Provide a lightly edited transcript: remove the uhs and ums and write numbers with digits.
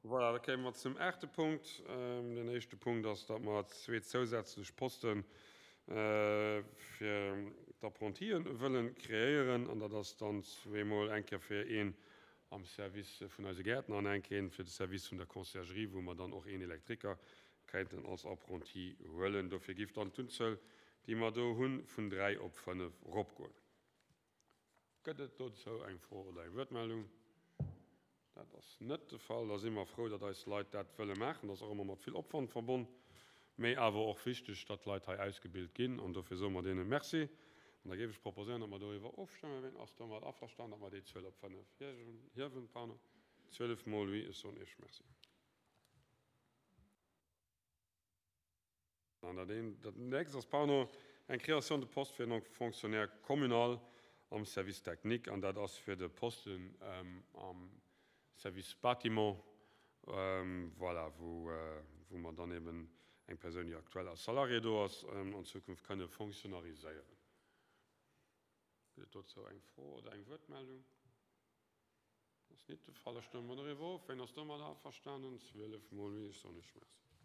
Voilà, da kéime mer zum aachte Punkt. Den éischte Punkt ass, datt mer zwee zousätzlech Poste fir d'Apprentien wëlle kreéieren. An dat ass dann zweemol eng Kéier fir een am Service vun eise Gäertner an eng Kéier fir de Service vun der Conciergerie, wou mer dann och een Elektriker kéinten als Apprenti huelen. Dofir géif dann d'Unzuel, déi mer do hunn, vun dräi op fënnef eropgoen. Gëtt et dozou eng Fro oder eng Wuertmeldung? Dat ass net de Fall. Da si mer frou, datt eis Leit dat wëlle maachen. Dat ass och ëmmer mat vill Opwand verbonn, mee awer och wichteg, datt d'Leit hei ausgebilt ginn. An dofir soe mer deene Merci. An da géif ech proposéieren, datt mer doriwwer ofstëmmen. Ween ass domat averstanen, datt mer déi Zuel op 5 hiewen? Pardon, 12 mol oui. Ech soen Iech Merci. An dat eent, dat nächst ass, pardon, eng Création de poste fir en Fonctionnaire communal am Service technique, an dat ass fir de Posten am Service bâtiment, voilà, wou, wou mer dann eben eng Persoun, déi aktuell als Salarié do ass, an Zukunft kënne fonctionnariséieren. Gëtt et dozou eng Fro oder eng Wuertmeldung? Dat ass nit de Fall. Da stëmme mer doriwwer of. Ween ass domat averstanen? 12 mol oui. Ech soen Iech Merci.